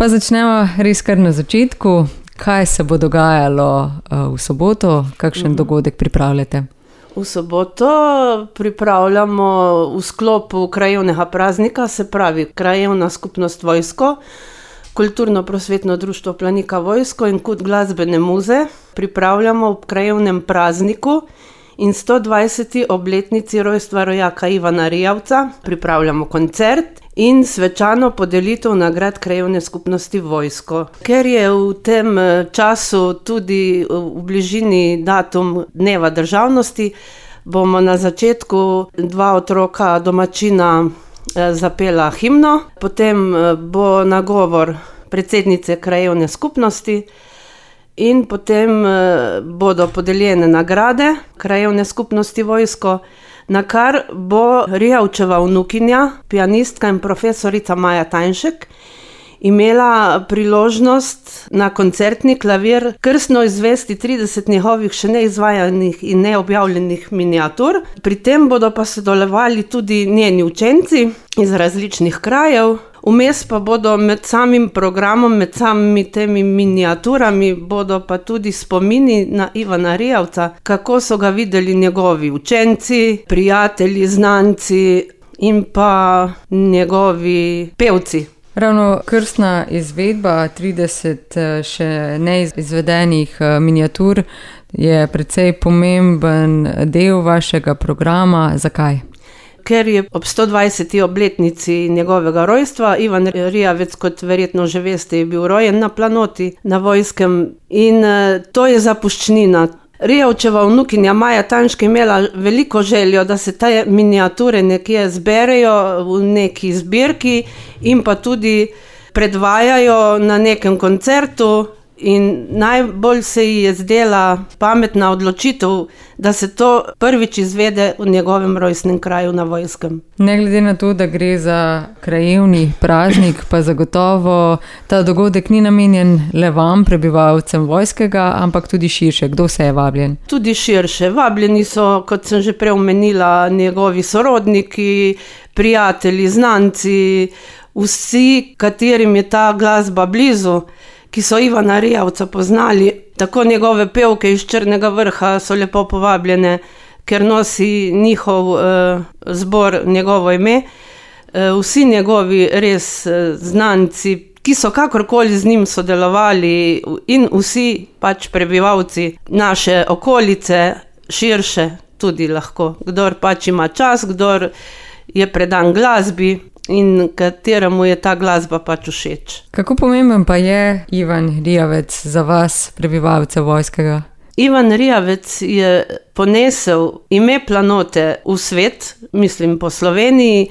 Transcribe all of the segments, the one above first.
Pa začnemo res kar na začetku. Kaj se bo dogajalo v soboto? Kakšen dogodek pripravljate? V soboto pripravljamo v sklopu krajevnega praznika, se pravi Krajevna skupnost Vojsko, Kulturno-prosvetno društvo Planika Vojsko in Kut glasbene muze. Pripravljamo v krajevnem prazniku in 120. obletnici rojstva rojaka Ivana Rijavca. Pripravljamo koncert in svečano podelitev nagrad krajevne skupnosti Vojsko. Ker je v tem času tudi v bližini datum Dneva državnosti, bomo na začetku 2 otroka domačina zapela himno, potem bo nagovor predsednice krajevne skupnosti in potem bodo podeljene nagrade krajevne skupnosti Vojsko, na kar bo Rijavčeva vnukinja, pianistka in profesorica Maja Tajnšek, imela priložnost na koncertni klavir krstno izvesti 30 njegovih še neizvajanih in neobjavljenih miniatur. Pri tem bodo pa sodelovali tudi njeni učenci iz različnih krajev. Vmes pa bodo med samim programom, med samimi temi miniaturami, bodo pa tudi spomini na Ivana Rijavca, kako so ga videli njegovi učenci, prijatelji, znanci in pa njegovi pevci. Ravno krstna izvedba 30 še neizvedenih miniatur je precej pomemben del vašega programa. Zakaj? Ker je ob 120. obletnici njegovega rojstva, Ivan Rijavec, kot verjetno že veste, je bil rojen na Planoti, na Vojskem, in to je zapuščnina. Rijavčeva vnukinja Maja Tajnšek je imela veliko željo, da se te miniature nekje zberejo v neki zbirki in pa tudi predvajajo na nekem koncertu. In najbolj se ji je zdela pametna odločitev, da se to prvič izvede v njegovem rojstnem kraju na Vojskem. Ne glede na to, da gre za krajevni praznik, pa zagotovo ta dogodek ni namenjen le vam, prebivalcem Vojskega, ampak tudi širše. Kdo se je vabljen? Tudi širše. Vabljeni so, kot sem že prej omenila, njegovi sorodniki, prijatelji, znanci, vsi, katerim je ta glasba blizu, ki so Ivana Rijavca poznali. Tako njegove pevke iz Črnega Vrha so lepo povabljene, ker nosi njihov zbor njegovo ime. Vsi njegovi res znanci, ki so kakorkoli z njim sodelovali, in vsi pač prebivalci naše okolice, širše tudi lahko. Kdor pač ima čas, kdor je predan glasbi in kateremu je ta glasba pač všeč. Kako pomemben pa je Ivan Rijavec za vas, prebivalce Vojskega? Ivan Rijavec je ponesel ime Planote v svet, mislim po Sloveniji,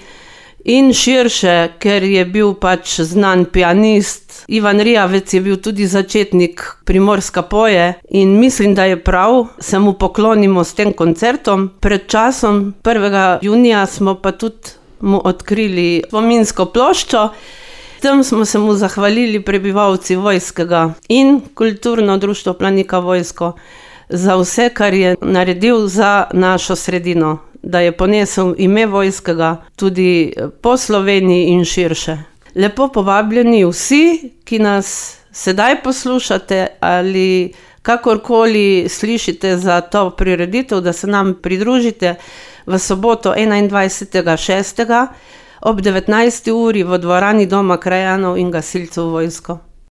in širše, ker je bil pač znan pianist. Ivan Rijavec je bil tudi začetnik Primorska poje in mislim, da je prav, se mu poklonimo s tem koncertom. Pred časom, 1. junija, smo pa tudi mu odkrili spominsko ploščo. Tem smo se mu zahvalili prebivalci Vojskega in Kulturno društvo Planika Vojsko za vse, kar je naredil za našo sredino, da je ponesel ime Vojskega tudi po Sloveniji in širše. Lepo povabljeni vsi, ki nas sedaj poslušate ali kakorkoli slišite za to prireditev, da se nam pridružite v soboto 21.6. ob 19. uri v dvorani Doma krajanov in gasilcev Vojsko.